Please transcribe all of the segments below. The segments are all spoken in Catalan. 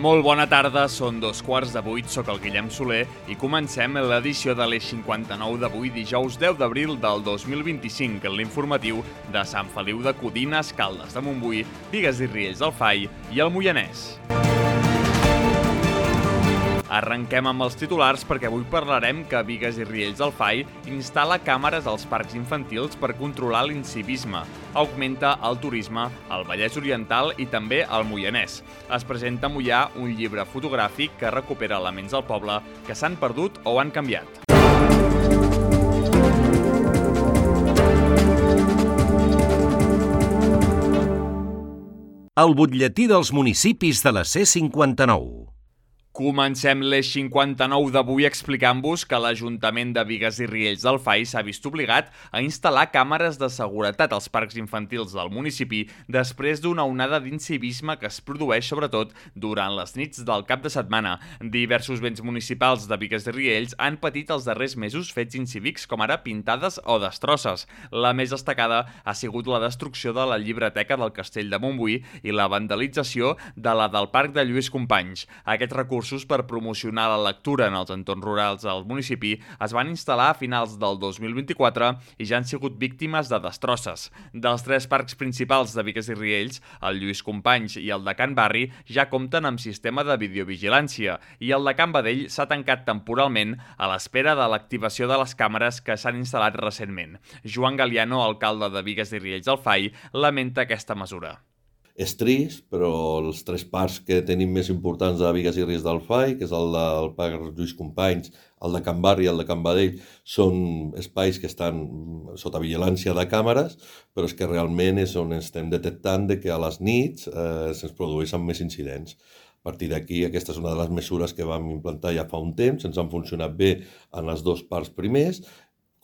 Molt bona tarda, són 7:15, soc el Guillem Soler i comencem l'edició de l'Eix 59 d'avui, dijous 10 d'abril del 2025, en l'informatiu de Sant Feliu de Codines, Caldes de Montbui, Bigues i Riells del FAI i el Moianès. Arrenquem amb els titulars perquè avui parlarem que Bigues i Riells del FAI instal·la càmeres als parcs infantils per controlar l'incivisme, augmenta el turisme al Vallès Oriental i també al Moianès. Es presenta a Moià un llibre fotogràfic que recupera elements del poble que s'han perdut o han canviat. El butlletí dels municipis de la C59. Comencem l'Eix 59 d'avui explicant-vos que l'Ajuntament de Bigues i Riells del FAI s'ha vist obligat a instal·lar càmeres de seguretat als parcs infantils del municipi després d'una onada d'incivisme que es produeix sobretot durant les nits del cap de setmana. Diversos béns municipals de Bigues i Riells han patit els darrers mesos fets incívics com ara pintades o destrosses. La més destacada ha sigut la destrucció de la llibreteca del Castell de Montbui i la vandalització de la del Parc de Lluís Companys. Aquests recursos per promocionar la lectura en els entorns rurals del municipi es van instal·lar a finals del 2024 i ja han sigut víctimes de destrosses. Dels tres parcs principals de Bigues i Riells, el Lluís Companys i el de Can Barri ja compten amb sistema de videovigilància i el de Can Badell s'ha tancat temporalment a l'espera de l'activació de les càmeres que s'han instal·lat recentment. Joan Galiano, alcalde de Bigues i Riells del FAI, lamenta aquesta mesura. És trist, però els tres parcs que tenim més importants de Bigues i Riells del FAI, que és el del Parc Lluís Companys, el de Can Barri i el de Can Badell, són espais que estan sota vigilància de càmeres, però és que realment és on estem detectant que a les nits se'ns produeixen més incidents. A partir d'aquí, aquesta és una de les mesures que vam implantar ja fa un temps, ens han funcionat bé en els dos parcs primers,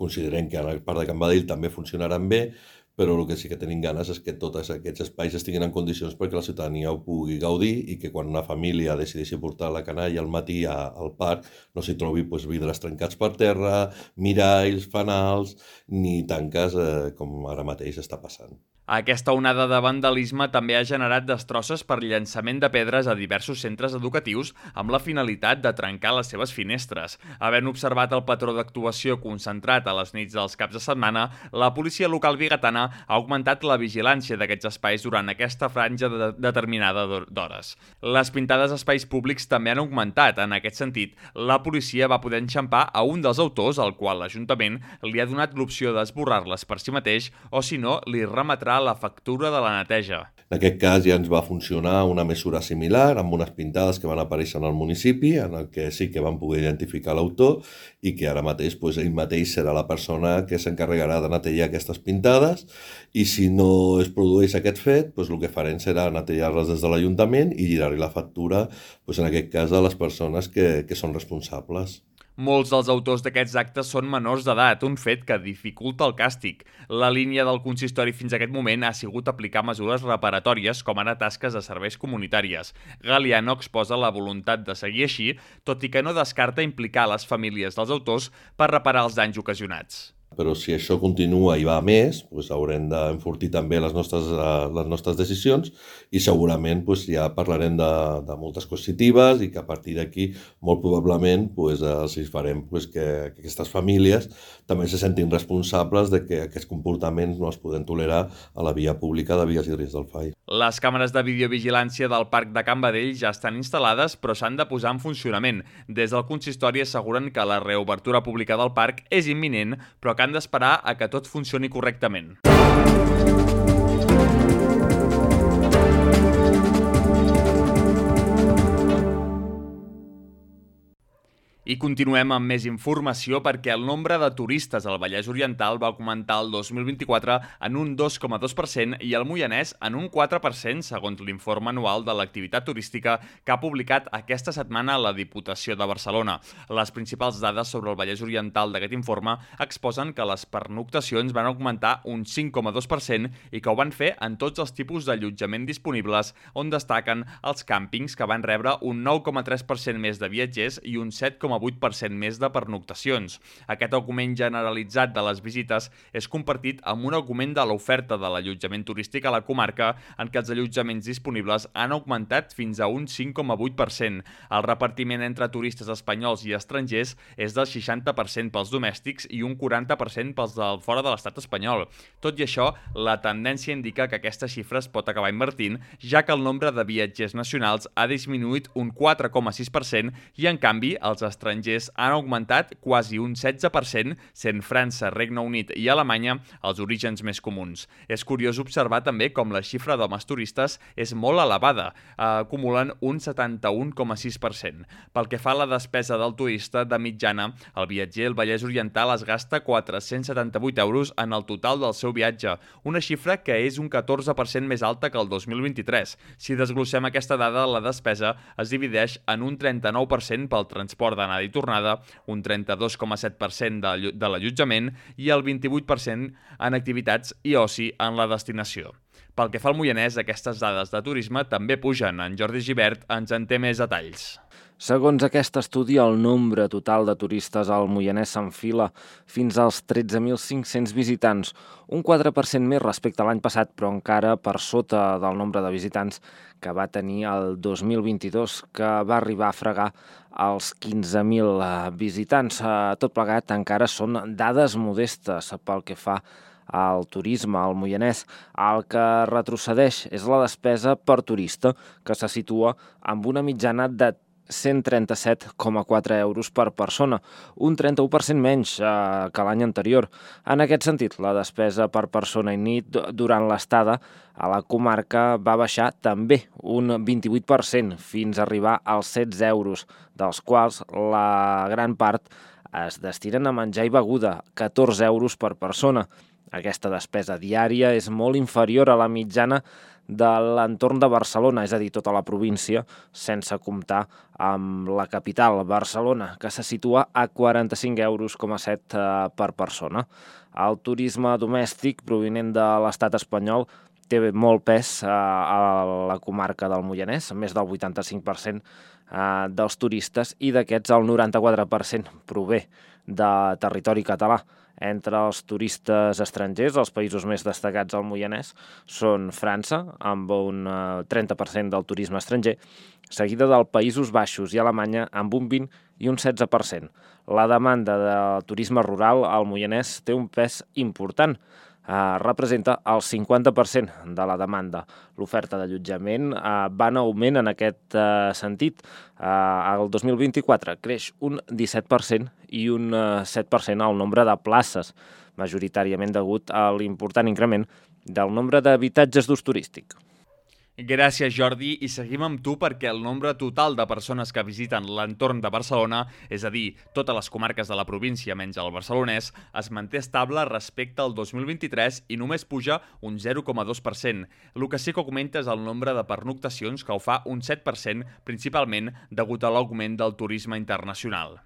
considerem que en el Parc de Can Badell també funcionaran bé, però el que sí que tenim ganes és que tots aquests espais estiguin en condicions perquè la ciutadania ho pugui gaudir i que quan una família decideixi portar la canalla al matí al parc no s'hi trobi vidres trencats per terra, miralls, fanals, ni tanques com ara mateix està passant. Aquesta onada de vandalisme també ha generat destrosses per llançament de pedres a diversos centres educatius amb la finalitat de trencar les seves finestres. Havent observat el patró d'actuació concentrat a les nits dels caps de setmana, la policia local bigatana ha augmentat la vigilància d'aquests espais durant aquesta franja determinada d'hores. Les pintades a espais públics també han augmentat. En aquest sentit, la policia va poder enxampar a un dels autors, al qual l'Ajuntament li ha donat l'opció d'esborrar-les per si mateix o, si no, li remetrà la factura de la neteja. En aquest cas ja ens va funcionar una mesura similar amb unes pintades que van aparèixer en el municipi, en el que sí que van poder identificar l'autor i que ara mateix ell mateix serà la persona que s'encarregarà de netejar aquestes pintades i si no es produeix aquest fet, el que farem serà netejar-les des de l'Ajuntament i girar-hi la factura, en aquest cas, a les persones que són responsables. Molts dels autors d'aquests actes són menors d'edat, un fet que dificulta el càstig. La línia del consistori fins a aquest moment ha sigut aplicar mesures reparatòries com ara tasques de serveis comunitàries. Galiano exposa la voluntat de seguir així, tot i que no descarta implicar les famílies dels autors per reparar els danys ocasionats. Però si això continua i va a més, haurem d'enfortir també les nostres decisions i segurament ja parlarem de moltes positives i que a partir d'aquí molt probablement els farem que aquestes famílies també se sentin responsables de que aquests comportaments no es poden tolerar a la via pública de Bigues i Riells del FAI. Les càmeres de videovigilància del Parc de Can Badell ja estan instal·lades però s'han de posar en funcionament. Des del consistori asseguren que la reobertura pública del parc és imminent però que han d'esperar a que tot funcioni correctament. I continuem amb més informació perquè el nombre de turistes al Vallès Oriental va augmentar el 2024 en un 2,2% i el Moianès en un 4%, segons l'informe anual de l'activitat turística que ha publicat aquesta setmana la Diputació de Barcelona. Les principals dades sobre el Vallès Oriental d'aquest informe exposen que les pernoctacions van augmentar un 5,2% i que ho van fer en tots els tipus d'allotjament disponibles, on destaquen els càmpings, que van rebre un 9,3% més de viatgers i un 7,8% 6,8% més de pernoctacions. Aquest augment generalitzat de les visites és compartit amb un augment de l'oferta de l'allotjament turístic a la comarca, en què els allotjaments disponibles han augmentat fins a un 5,8%. El repartiment entre turistes espanyols i estrangers és del 60% pels domèstics i un 40% pels de fora de l'estat espanyol. Tot i això, la tendència indica que aquesta xifra es pot acabar invertint, ja que el nombre de viatgers nacionals ha disminuït un 4,6% i, en canvi, els estrangers han augmentat quasi un 16%, sent França, Regne Unit i Alemanya els orígens més comuns. És curiós observar també com la xifra d'homes turistes és molt elevada, acumulen un 71,6%. Pel que fa a la despesa del turista, de mitjana, el viatger al Vallès Oriental es gasta 478 euros en el total del seu viatge, una xifra que és un 14% més alta que el 2023. Si desglossem aquesta dada, la despesa es divideix en un 39% pel transport d'anada i tornada, un 32,7% de l'allotjament i el 28% en activitats i oci en la destinació. Pel que fa al Moianès, aquestes dades de turisme també pugen. En Jordi Gibert ens en té més detalls. Segons aquest estudi, el nombre total de turistes al Moianès s'enfila fins als 13.500 visitants, un 4% més respecte a l'any passat, però encara per sota del nombre de visitants que va tenir el 2022, que va arribar a fregar els 15.000 visitants. Tot plegat encara són dades modestes pel que fa al turisme al Moianès. El que retrocedeix és la despesa per turista, que se situa amb una mitjana de 137,4 euros per persona, un 31% menys que l'any anterior. En aquest sentit, la despesa per persona i nit durant l'estada a la comarca va baixar també un 28% fins a arribar als 16 euros, dels quals la gran part es destinen a menjar i beguda, 14 euros per persona. Aquesta despesa diària és molt inferior a la mitjana de l'entorn de Barcelona, és a dir, tota la província, sense comptar amb la capital, Barcelona, que se situa a 45,7 euros per persona. El turisme domèstic provinent de l'estat espanyol té molt pes a la comarca del Moianès, més del 85% dels turistes, i d'aquests el 94% prové de territori català. Entre els turistes estrangers, els països més destacats al Moianès són França, amb un 30% del turisme estranger, seguida dels Països Baixos i Alemanya amb un 20% i un 16%. La demanda de turisme rural al Moianès té un pes important, representa el 50% de la demanda. L'oferta d'allotjament va en augment en aquest sentit. El 2024 creix un 17% i un 7% el nombre de places, majoritàriament degut a l'important increment del nombre d'habitatges d'ús turístic. Gràcies, Jordi, i seguim amb tu perquè el nombre total de persones que visiten l'entorn de Barcelona, és a dir, totes les comarques de la província menys el barcelonès, es manté estable respecte al 2023 i només puja un 0,2%. El que sí que augmenta és el nombre de pernoctacions, que ho fa un 7%, principalment degut a l'augment del turisme internacional.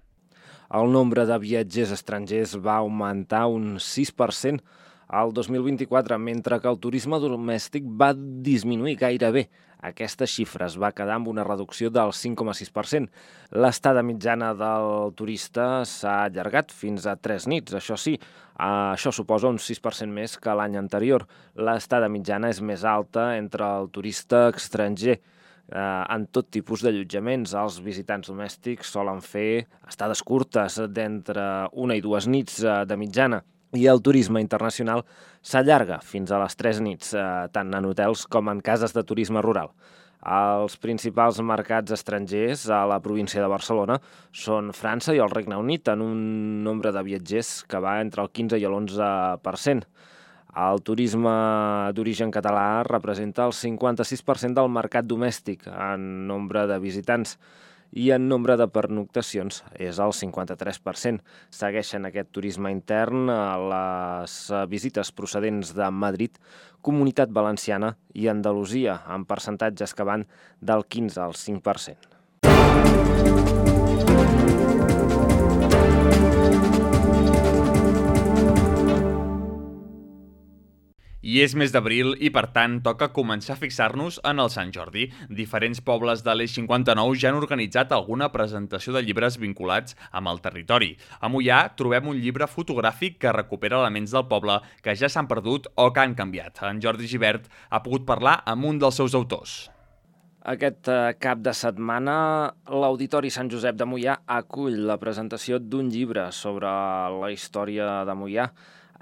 El nombre de viatgers estrangers va augmentar un 6%, al 2024, mentre que el turisme domèstic va disminuir gairebé. Aquesta xifra es va quedar amb una reducció del 5,6%. L'estada mitjana del turista s'ha allargat fins a 3 nits, això sí, això suposa un 6% més que l'any anterior. L'estada mitjana és més alta entre el turista estranger. En tot tipus d'allotjaments, els visitants domèstics solen fer estades curtes d'entre 1 i 2 nits de mitjana, i el turisme internacional s'allarga fins a les 3 nits, tant en hotels com en cases de turisme rural. Els principals mercats estrangers a la província de Barcelona són França i el Regne Unit, en un nombre de viatgers que va entre el 15 i l'11%. El turisme d'origen català representa el 56% del mercat domèstic en nombre de visitants, i en nombre de pernoctacions és el 53%. Segueixen aquest turisme intern les visites procedents de Madrid, Comunitat Valenciana i Andalusia, amb percentatges que van del 15 al 5%. I I és mes d'abril i, per tant, toca començar a fixar-nos en el Sant Jordi. Diferents pobles de l'Eix 59 ja han organitzat alguna presentació de llibres vinculats amb el territori. A Moià trobem un llibre fotogràfic que recupera elements del poble que ja s'han perdut o que han canviat. En Jordi Gibert ha pogut parlar amb un dels seus autors. Aquest cap de setmana, l'Auditori Sant Josep de Moià acull la presentació d'un llibre sobre la història de Moià.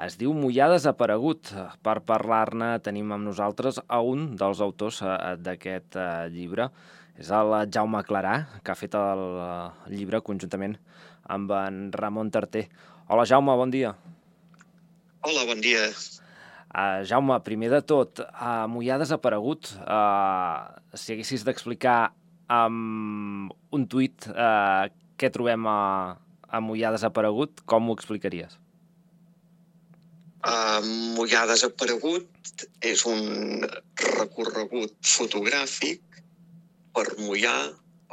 Es diu Moià desaparegut. Per parlar-ne tenim amb nosaltres a un dels autors d'aquest llibre. És el Jaume Clarà, que ha fet el llibre conjuntament amb en Ramon Tarter. Hola, Jaume, bon dia. Hola, bon dia. Jaume, primer de tot, Moià desaparegut. Si haguessis d'explicar amb un tuit què trobem a Moià desaparegut, com ho explicaries? Moià desaparegut és un recorregut fotogràfic per Moià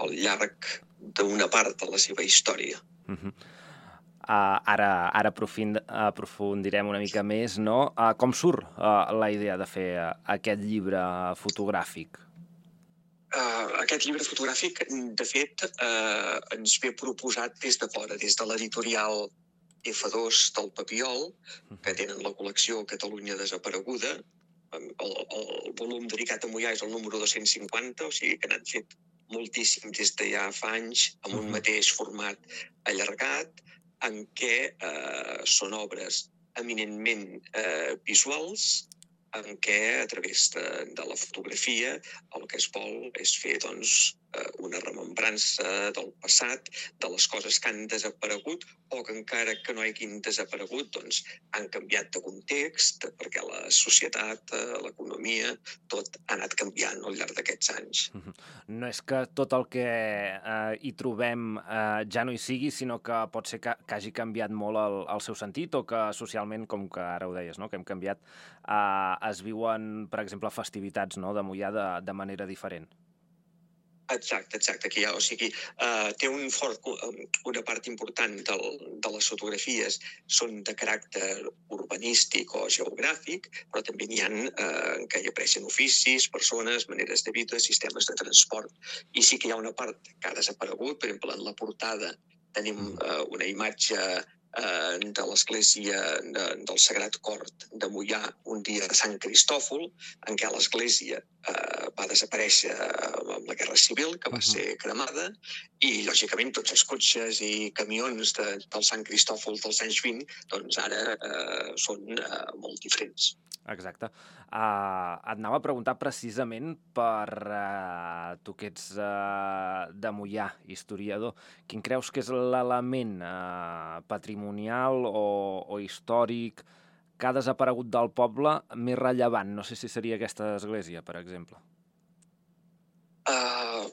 al llarg d'una part de la seva història. Ara aprofundirem una mica més, no? Com surt la idea de fer aquest llibre fotogràfic? Aquest llibre fotogràfic, de fet, ens ve proposat des de fora, des de l'editorial F2 del Papiol, que tenen la col·lecció Catalunya desapareguda. El volum dedicat a Moià és el número 250, o sigui que n'han fet moltíssim des de ja fa anys, amb un mateix format allargat, en què són obres eminentment visuals, en què a través de la fotografia el que es vol és fer una remembrança del passat, de les coses que han desaparegut o que encara que no hagin desaparegut han canviat de context, perquè la societat, l'economia, tot ha anat canviant al llarg d'aquests anys. No és que tot el que hi trobem ja no hi sigui, sinó que pot ser que hagi canviat molt el seu sentit o que socialment, com que ara ho deies, que hem canviat, es viuen, per exemple, festivitats de Moià de manera diferent. Exacte. Aquí o sigui, té una part important de les fotografies són de caràcter urbanístic o geogràfic, però també n'hi ha que hi apareixen oficis, persones, maneres de vida, sistemes de transport. I sí que hi ha una part que ha desaparegut. Per exemple, en la portada tenim una imatge de l'església del Sagrat Cor de Moià un dia de Sant Cristòfol, en què l'església va desaparèixer amb la Guerra Civil, que va ser cremada, i, lògicament, tots els cotxes i camions del Sant Cristòfol dels anys 20 ara són molt diferents. Exacte. Et anava a preguntar precisament per tu que ets de Moià, historiador, quin creus que és l'element patrimonial o històric que ha desaparegut del poble més rellevant? No sé si seria aquesta església, per exemple.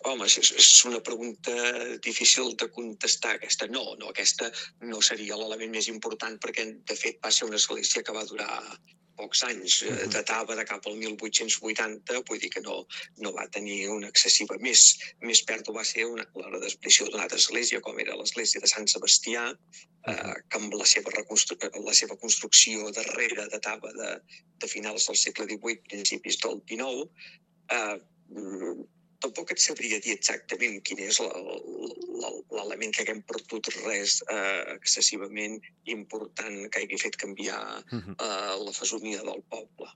Home, és una pregunta difícil de contestar, aquesta. No, aquesta no seria l'element més important, perquè, de fet, va ser una església que va durar pocs anys, datava de cap al 1880, vull dir que no va tenir una excessiva. Més pèrdua va ser la desaparició d'una altra església, com era l'església de Sant Sebastià, que amb la seva construcció darrere datava de finals del segle XVIII, principis del XIX. Tampoc et sabria dir exactament quin és l'element que haguem perdut res excessivament important que hagi fet canviar la fesomia del poble.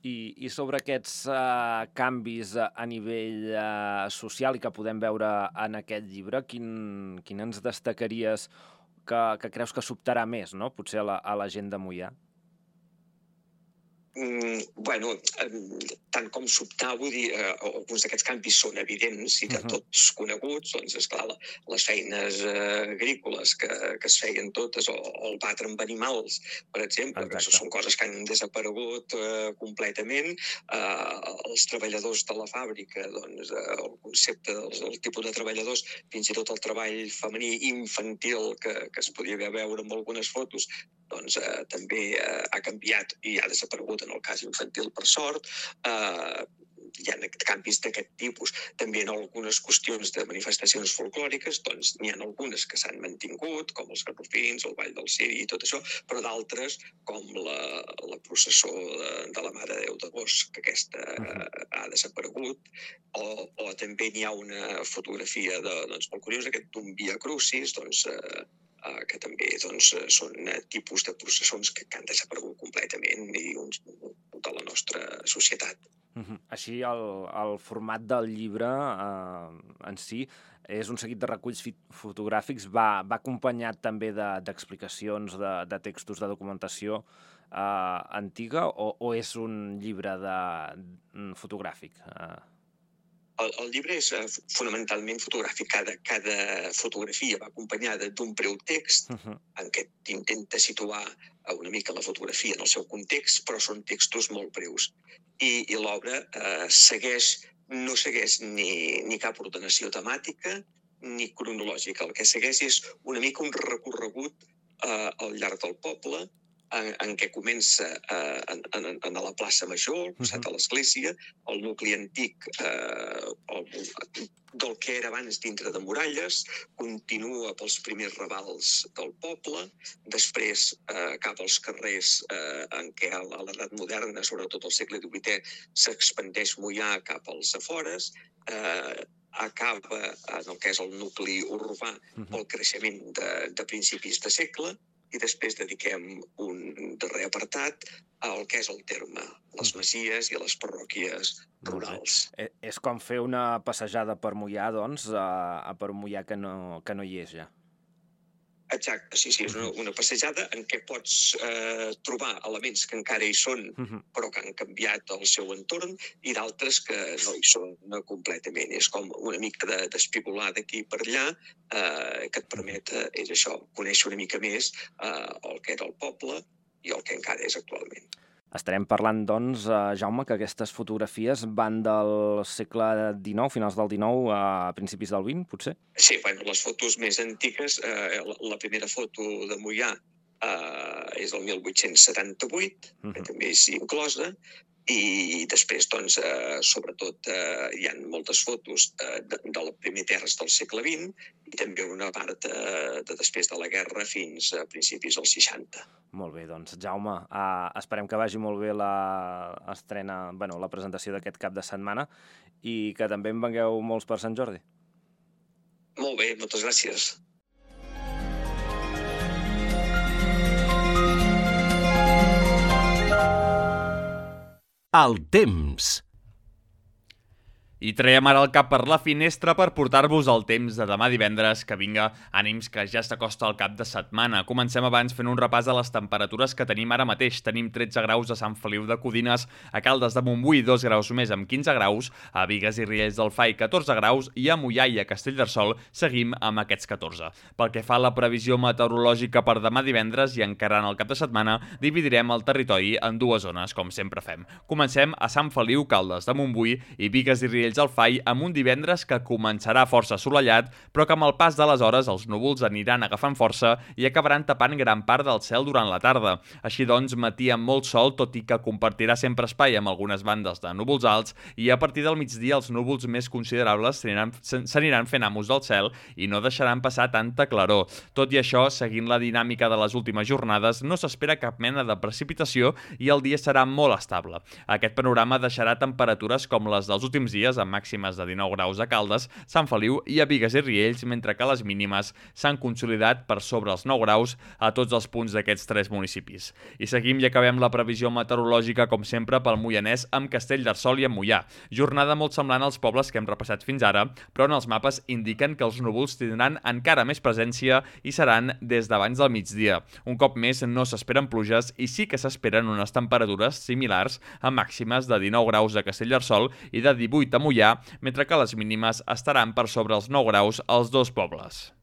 I sobre aquests canvis a nivell social i que podem veure en aquest llibre, quin ens destacaries que creus que sobtarà més, potser a la gent de Moià? Bueno, tant com sobtar, vull dir, alguns d'aquests canvis són evidents i de tots coneguts, esclar, les feines agrícoles que es feien totes, o el batre amb animals, per exemple, que són coses que han desaparegut completament. Els treballadors de la fàbrica, el concepte del tipus de treballadors, fins i tot el treball femení infantil que es podia veure en algunes fotos, també ha canviat i ha desaparegut en el cas infantil, per sort. hi ha canvis d'aquest tipus. També en algunes qüestions de manifestacions folclòriques, doncs n'hi ha algunes que s'han mantingut, com els garrofins, el Ball del Ciri i tot això, però d'altres, com la processó de la Mare de Déu d'Agost, que aquesta ha desaparegut, o també n'hi ha una fotografia molt curiosa, aquest d'un Via Crucis, que també són tipus de processons que han desaparegut completament i de la nostra societat. Així, el format del llibre en si és un seguit de reculls fotogràfics, va acompanyat també d'explicacions, de textos de documentació antiga, o és un llibre fotogràfic? El llibre és fonamentalment fotogràfic. Cada fotografia va acompanyada d'un breu text en què intenta situar una mica la fotografia en el seu context, però són textos molt breus. I l'obra no segueix ni cap ordenació temàtica ni cronològica. El que segueix és una mica un recorregut al llarg del poble, en què comença a la plaça Major, al costat de l'església, el nucli antic del que era abans dintre de muralles, continua pels primers ravals del poble, després cap als carrers en què a l'edat moderna, sobretot al segle XVIII, s'expandeix Moià cap als afores, acaba en el que és el nucli urbà pel creixement de principis de segle, i després dediquem un darrer apartat al que és el terme, les masies i les parròquies rurals. És com fer una passejada per Moià, doncs, per un Moià que no hi és ja. Exacte, sí, és una passejada en què pots trobar elements que encara hi són, però que han canviat el seu entorn, i d'altres que no hi són completament. És com una mica d'espigolar d'aquí per allà, que et permet, és això, conèixer una mica més el que era el poble i el que encara és actualment. Estarem parlant, doncs, Jaume, que aquestes fotografies van del segle XIX, finals del XIX, a principis del XX, potser? Sí, les fotos més antigues, la primera foto de Moià és del 1878, que també és inclosa, i després, doncs, sobretot, hi ha moltes fotos de les primeres terres del segle XX i també una part de després de la guerra fins a principis dels 60. Molt bé, doncs, Jaume, esperem que vagi molt bé la presentació d'aquest cap de setmana i que també en vengueu molts per Sant Jordi. Molt bé, moltes gràcies. El temps. I traiem ara el cap per la finestra per portar-vos el temps de demà divendres, que vinga, ànims, que ja s'acosta el cap de setmana. Comencem abans fent un repàs a les temperatures que tenim ara mateix. Tenim 13 graus a Sant Feliu de Codines, a Caldes de Montbui 2 graus més amb 15 graus, a Bigues i Riells del Fai 14 graus i a Moià i a Castellterçol seguim amb aquests 14. Pel que fa a la previsió meteorològica per demà divendres i encarant el cap de setmana, dividirem el territori en dues zones, com sempre fem. Comencem a Sant Feliu, Caldes de Montbui i Bigues i Riells del Fai amb un divendres que començarà força assolellat, però que amb el pas de les hores els núvols aniran agafant força i acabaran tapant gran part del cel durant la tarda. Així doncs, matí amb molt sol, tot i que compartirà sempre espai amb algunes bandes de núvols alts, i a partir del migdia els núvols més considerables s'aniran fent amos del cel i no deixaran passar tanta claror. Tot i això, seguint la dinàmica de les últimes jornades, no s'espera cap mena de precipitació i el dia serà molt estable. Aquest panorama deixarà temperatures com les dels últims dies, amb màximes de 19 graus a Caldes, Sant Feliu i a Bigues i Riells, mentre que les mínimes s'han consolidat per sobre els 9 graus a tots els punts d'aquests tres municipis. I seguim i acabem la previsió meteorològica, com sempre, pel Moianès amb Castellterçol i amb Moià. Jornada molt semblant als pobles que hem repassat fins ara, però en els mapes indiquen que els núvols tindran encara més presència i seran des d'abans del migdia. Un cop més, no s'esperen pluges i sí que s'esperen unes temperatures similars amb màximes de 19 graus a Castellterçol i de 18 a Moià, mentre que les mínimes estaran per sobre els 9 graus als dos pobles.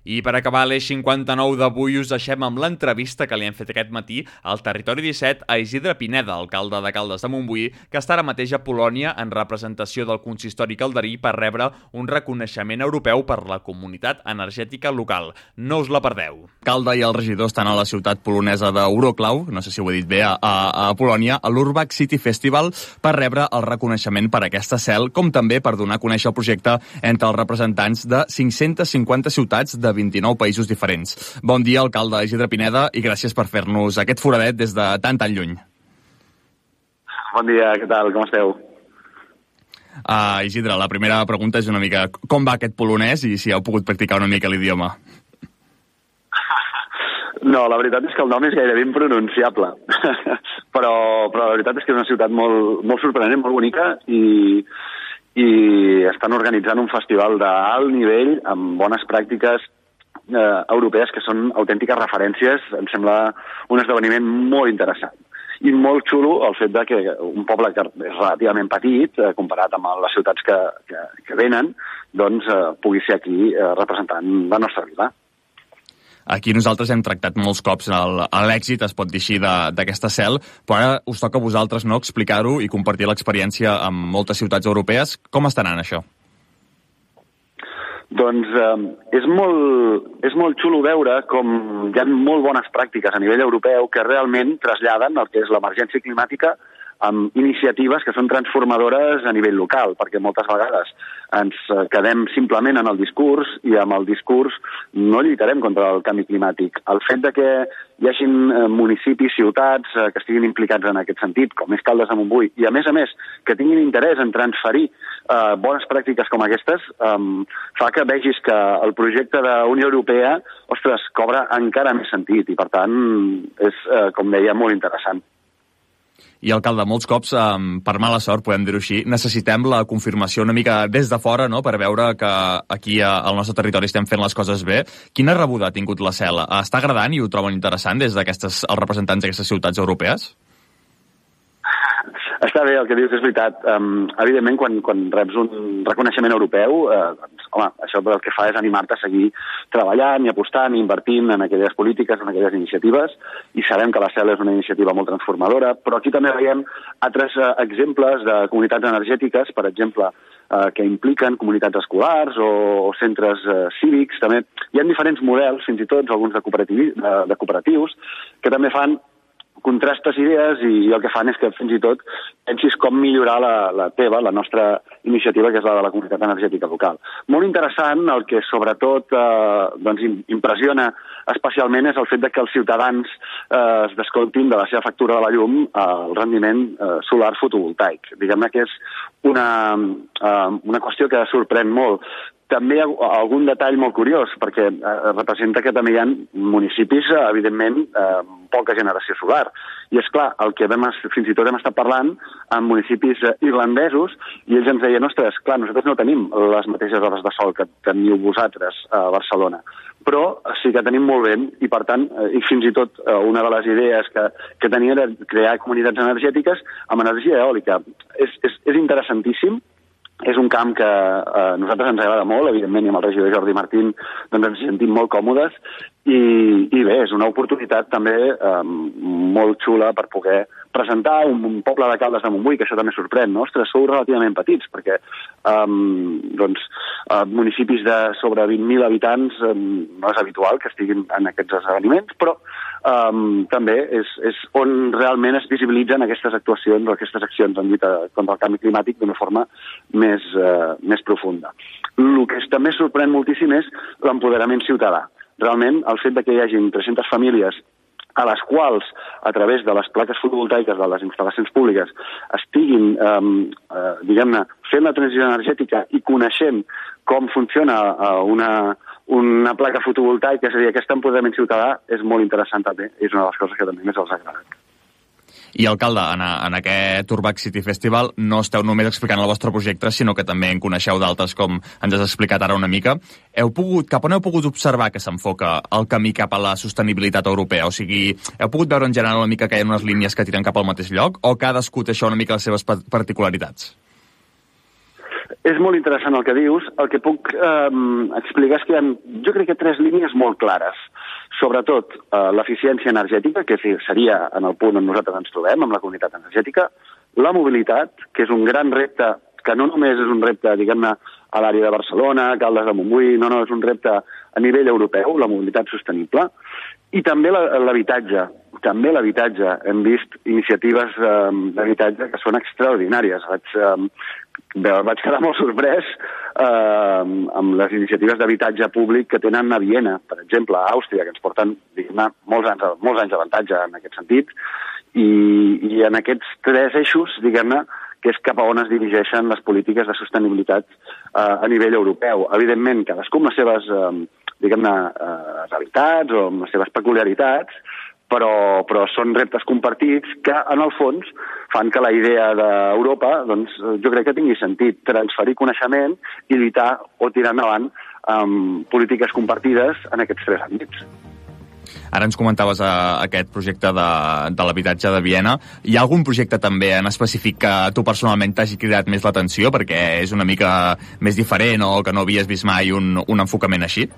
I per acabar l'Eix 59 d'avui us deixem amb l'entrevista que li hem fet aquest matí al Territori 17 a Isidre Pineda, alcalde de Caldes de Montbui, que està ara mateix a Polònia en representació del consistori calderí per rebre un reconeixement europeu per la comunitat energètica local. No us la perdeu. L'alcalde i el regidor estan a la ciutat polonesa d'Euroclau, no sé si ho he dit bé, a Polònia, a l'Urbach City Festival, per rebre el reconeixement per aquesta cel, com també per donar a conèixer el projecte entre els representants de 550 ciutats de 29 països diferents. Bon dia, alcalde Isidre Pineda, i gràcies per fer-nos aquest foradet des de tan lluny. Bon dia, què tal? Com esteu? Isidre, la primera pregunta és una mica com va aquest polonès i si heu pogut practicar una mica l'idioma. No, la veritat és que el nom és gairebé impronunciable, però la veritat és que és una ciutat molt sorprenent, molt bonica, i estan organitzant un festival d'alt nivell amb bones pràctiques europees que són autèntiques referències. Em sembla un esdeveniment molt interessant i molt xulo el fet de que un poble que és relativament petit, comparat amb les ciutats que venen, doncs pugui ser aquí representant la nostra vila. Aquí nosaltres hem tractat molts cops l'èxit, es pot dir així, d'aquesta cel, però ara us toca a vosaltres explicar-ho i compartir l'experiència amb moltes ciutats europees. Com està anant això? Doncs és molt xulo veure com hi ha molt bones pràctiques a nivell europeu que realment traslladen el que és l'emergència climàtica amb iniciatives que són transformadores a nivell local, perquè moltes vegades ens quedem simplement en el discurs i amb el discurs no lluitarem contra el canvi climàtic. El fet de que hi hagin municipis, ciutats que estiguin implicats en aquest sentit, com és Caldes de Montbui, i a més que tinguin interès en transferir bones pràctiques com aquestes, fa que vegis que el projecte d'Unió Europea, ostres, cobra encara més sentit i per tant és, com deia, molt interessant. I, alcalde, molts cops, per mala sort, podem dir-ho així, necessitem la confirmació una mica des de fora, no?, per veure que aquí al nostre territori estem fent les coses bé. Quina rebuda ha tingut la cel? Està agradant i ho troben interessant des d'aquestes els representants d'aquestes ciutats europees? Està bé, el que dius és veritat. Evidentment, quan reps un reconeixement europeu, home, això el que fa és animar-te a seguir treballant i apostant i invertint en aquelles polítiques, en aquelles iniciatives, i sabem que la CEL és una iniciativa molt transformadora, però aquí també veiem altres exemples de comunitats energètiques, per exemple, que impliquen comunitats escolars o centres cívics. També hi ha diferents models, fins i tot alguns de cooperatius, que també fan contrastes idees i el que fan és que fins i tot pensis com millorar la nostra iniciativa, que és la de la comunitat energètica local. Molt interessant, el que sobretot impressiona especialment és el fet que els ciutadans es descomptin de la seva factura de la llum el rendiment solar fotovoltaic. Diguem-ne que és una qüestió que sorprèn molt. També algun detall molt curiós, perquè representa que també hi ha municipis, evidentment, poca generació solar. I, és clar, el que fins i tot hem estat parlant amb municipis irlandesos, i ells ens deien, ostres, clar, nosaltres no tenim les mateixes hores de sol que teniu vosaltres a Barcelona, però sí que tenim molt vent, i per tant, i fins i tot una de les idees que tenia era crear comunitats energètiques amb energia eòlica. És interessantíssim. És un camp que a nosaltres ens agrada molt, evidentment, i amb el regidor Jordi Martín doncs ens sentim molt còmodes, i bé, és una oportunitat també molt xula per poder presentar un poble de Caldes de Montbui, que això també sorprèn, no? Ostres, sou relativament petits, perquè municipis de sobre 20.000 habitants no és habitual que estiguin en aquests esdeveniments, però també és on realment es visibilitzen aquestes actuacions o aquestes accions en lluita contra el canvi climàtic d'una forma més profunda. El que també sorprèn moltíssim és l'empoderament ciutadà. Realment, el fet que hi hagi 300 famílies a les quals, a través de les plaques fotovoltaiques de les instal·lacions públiques, estiguin, diguem-ne, fent la transició energètica i coneixent com funciona una placa fotovoltaica, és a dir, aquest empoderament ciutadà és molt interessant també, és una de les coses que també més els ha agradat. I, alcalde, en aquest Urbach City Festival no esteu només explicant el vostre projecte, sinó que també en coneixeu d'altres, com ens has explicat ara una mica. Cap on heu pogut observar que s'enfoca el camí cap a la sostenibilitat europea? O sigui, heu pogut veure en general una mica que hi ha unes línies que tiren cap al mateix lloc, o cadascú té això una mica les seves particularitats? És molt interessant el que dius. El que puc explicar és que hi ha, jo crec que 3 línies molt clares. Sobretot l'eficiència energètica, que seria en el punt on nosaltres ens trobem, amb la comunitat energètica, la mobilitat, que és un gran repte, que no només és un repte, diguem-ne, a l'àrea de Barcelona, Caldes de Montbui, no, és un repte a nivell europeu, la mobilitat sostenible, i també l'habitatge. També l'habitatge. Hem vist iniciatives d'habitatge que són extraordinàries. Vaig quedar molt sorprès amb les iniciatives d'habitatge públic que tenen a Viena, per exemple, a Àustria, que ens porten, diguem-ne, molts anys d'avantatge en aquest sentit, i en aquests 3 eixos, diguem-ne, que és cap a on es dirigeixen les polítiques de sostenibilitat a nivell europeu. Evidentment, cadascú amb les seves, diguem-ne, realitats o amb les seves peculiaritats, però són reptes compartits que, en el fons, fan que la idea d'Europa, doncs, jo crec que tingui sentit transferir coneixement i lluitar o tirar endavant polítiques compartides en aquests 3 àmbits. Ara ens comentaves aquest projecte de l'habitatge de Viena. Hi ha algun projecte també en específic que a tu personalment t'hagi cridat més l'atenció perquè és una mica més diferent o que no havies vist mai un enfocament així?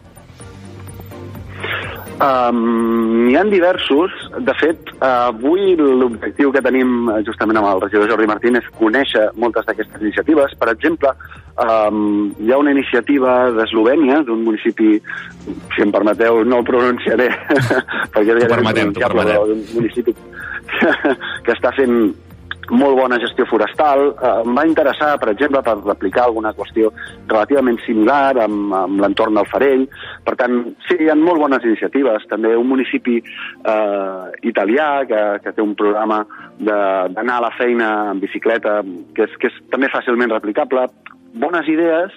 N'hi ha diversos. De fet, avui l'objectiu que tenim justament amb el regidor Jordi Martín és conèixer moltes d'aquestes iniciatives. Per exemple, hi ha una iniciativa d'Eslovènia, d'un municipi, si em permeteu, no el pronunciaré, perquè és pronunciable, d'un municipi que està fent molt bona gestió forestal. Em va interessar, per exemple, per replicar alguna qüestió relativament similar amb l'entorn del Farell. Per tant, sí, hi ha molt bones iniciatives. També un municipi italià que té un programa d'anar a la feina en bicicleta, que és també fàcilment replicable. Bones idees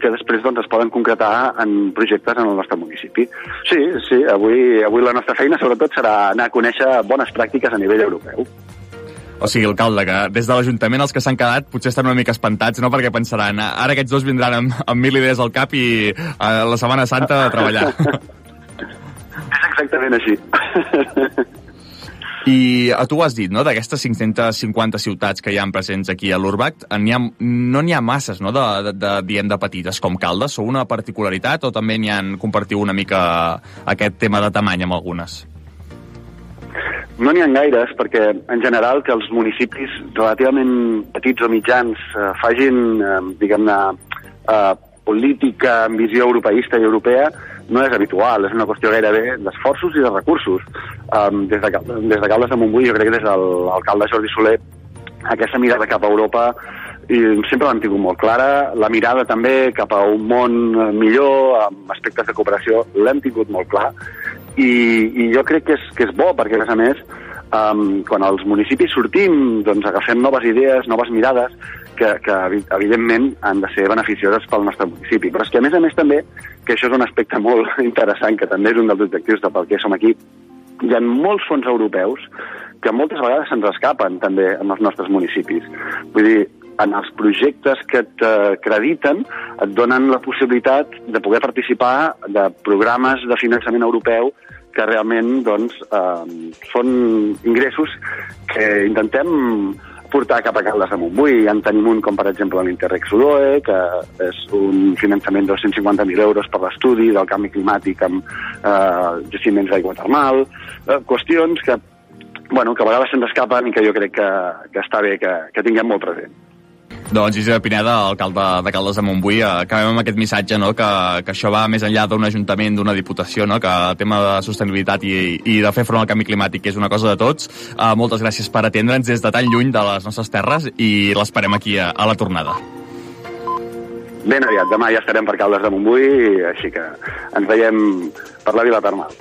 que després doncs, es poden concretar en projectes en el nostre municipi. Sí, avui la nostra feina sobretot serà anar a conèixer bones pràctiques a nivell europeu. O sigui, alcalde, que des de l'Ajuntament els que s'han quedat potser estan una mica espantats, no? Perquè pensaran, ara aquests 2 vindran amb 1.000 idees al cap i a la Setmana Santa a treballar. És exactament així. I tu ho has dit, no? D'aquestes 550 ciutats que hi ha presents aquí a l'Urbact, no n'hi ha masses, no? De petites com Caldes. Sou una particularitat o també compartiu una mica aquest tema de tamany amb algunes? No n'hi ha gaires, perquè en general que els municipis relativament petits o mitjans facin, diguem-ne, política amb visió europeista i europea no és habitual, és una qüestió gairebé d'esforços i de recursos. Des de Caldes de Montbui, jo crec que des de l'alcalde Jordi Soler, aquesta mirada cap a Europa i sempre l'hem tingut molt clara, la mirada també cap a un món millor, amb aspectes de cooperació, l'hem tingut molt clar, i jo crec que és bo, perquè a més, quan els municipis sortim, doncs agafem noves idees, noves mirades, que evidentment han de ser beneficioses pel nostre municipi. Però és que a més també, que això és un aspecte molt interessant, que també és un dels objectius de per què som aquí, hi ha molts fons europeus que moltes vegades se'ns escapen també en els nostres municipis. Vull dir, en els projectes que t'acrediten et donen la possibilitat de poder participar de programes de finançament europeu que realment doncs, són ingressos que intentem portar cap a Caldes de Montbui. En tenim un com, per exemple, l'Interreg Sudoe, que és un finançament de 250.000 euros per l'estudi del canvi climàtic amb jaciments d'aigua termal, qüestions que a vegades se'ns escapen i que jo crec que està bé que tinguem molt present. Doncs Isidre Pineda, alcalde de Caldes de Montbui, acabem amb aquest missatge, no? que això va més enllà d'un ajuntament, d'una diputació, no? Que el tema de sostenibilitat i de fer front al canvi climàtic és una cosa de tots. Moltes gràcies per atendre'ns des de tan lluny de les nostres terres i l'esperem aquí a la tornada. Ben aviat, demà ja estarem per Caldes de Montbui, així que ens veiem per la Vila Termal.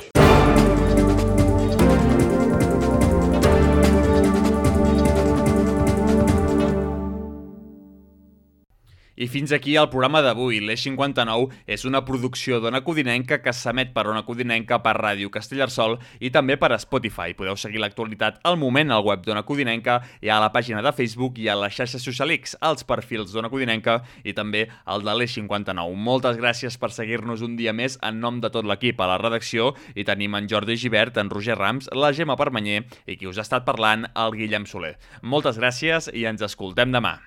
I fins aquí el programa d'avui. L'Eix 59 és una producció d'Ona Codinenca que s'emet per Ona Codinenca, per Ràdio Castellterçol i també per Spotify. Podeu seguir l'actualitat al moment al web d'Ona Codinenca i a la pàgina de Facebook i a les xarxes socials, als perfils d'Ona Codinenca i també al de l'Eix 59. Moltes gràcies per seguir-nos un dia més en nom de tot l'equip a la redacció i tenim en Jordi Givert, en Roger Rams, la Gemma Permanyer i qui us ha estat parlant, el Guillem Soler. Moltes gràcies i ens escoltem demà.